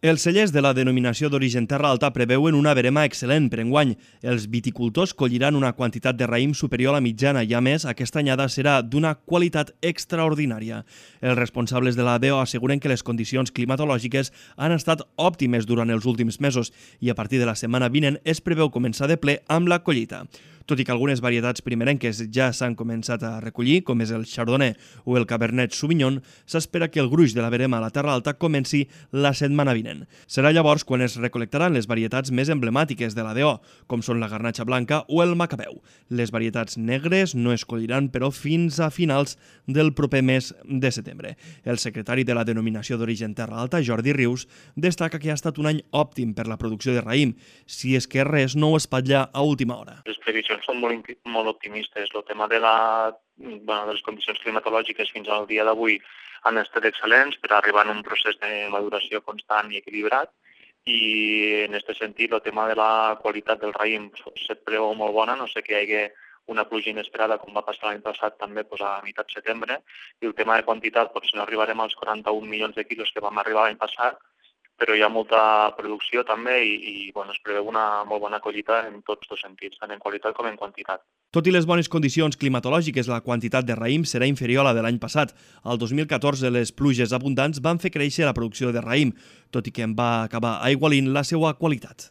Els cellers de la denominació d'origen Terra Alta preveuen una verema excel·lent per enguany. Els viticultors colliran una quantitat de raïm superior a la mitjana i, a més, aquesta anyada serà d'una qualitat extraordinària. Els responsables de la DO asseguren que les condicions climatològiques han estat òptimes durant els últims mesos i a partir de la setmana vinent es preveu començar de ple amb la collita. Tot i que algunes varietats primerenques ja s'han començat a recollir, com és el Chardonnay o el Cabernet Sauvignon, s'espera que el gruix de la verema a la Terra Alta comenci la setmana vinent. Serà llavors quan es recol·lectaran les varietats més emblemàtiques de la DO, com són la Garnatxa Blanca o el Macabeu. Les varietats negres no es colliran, però, fins a finals del proper mes de setembre. El secretari de la denominació d'origen Terra Alta, Jordi Rius, destaca que ha estat un any òptim per la producció de raïm, si és que res no ho espatlla a última hora. Les previsions són molt optimistes. El tema de les condicions climatològiques fins al dia d'avui han estat excel·lents per arribar a un procés de maduració constant i equilibrat, i en aquest sentit el tema de la qualitat del raïm se't preveu molt bona, no sé que hi hagi una pluja inesperada com va passar l'any passat també a meitat de setembre, i el tema de quantitat, potser no arribarem als 41 milions de quilos que vam arribar l'any passat, però hi ha molta producció també i es preveu una molt bona collita en tots els sentits, tant en qualitat com en quantitat. Tot i les bones condicions climatològiques, la quantitat de raïm serà inferior a la de l'any passat. El 2014 les pluges abundants van fer créixer la producció de raïm, tot i que en va acabar aigualint la seva qualitat.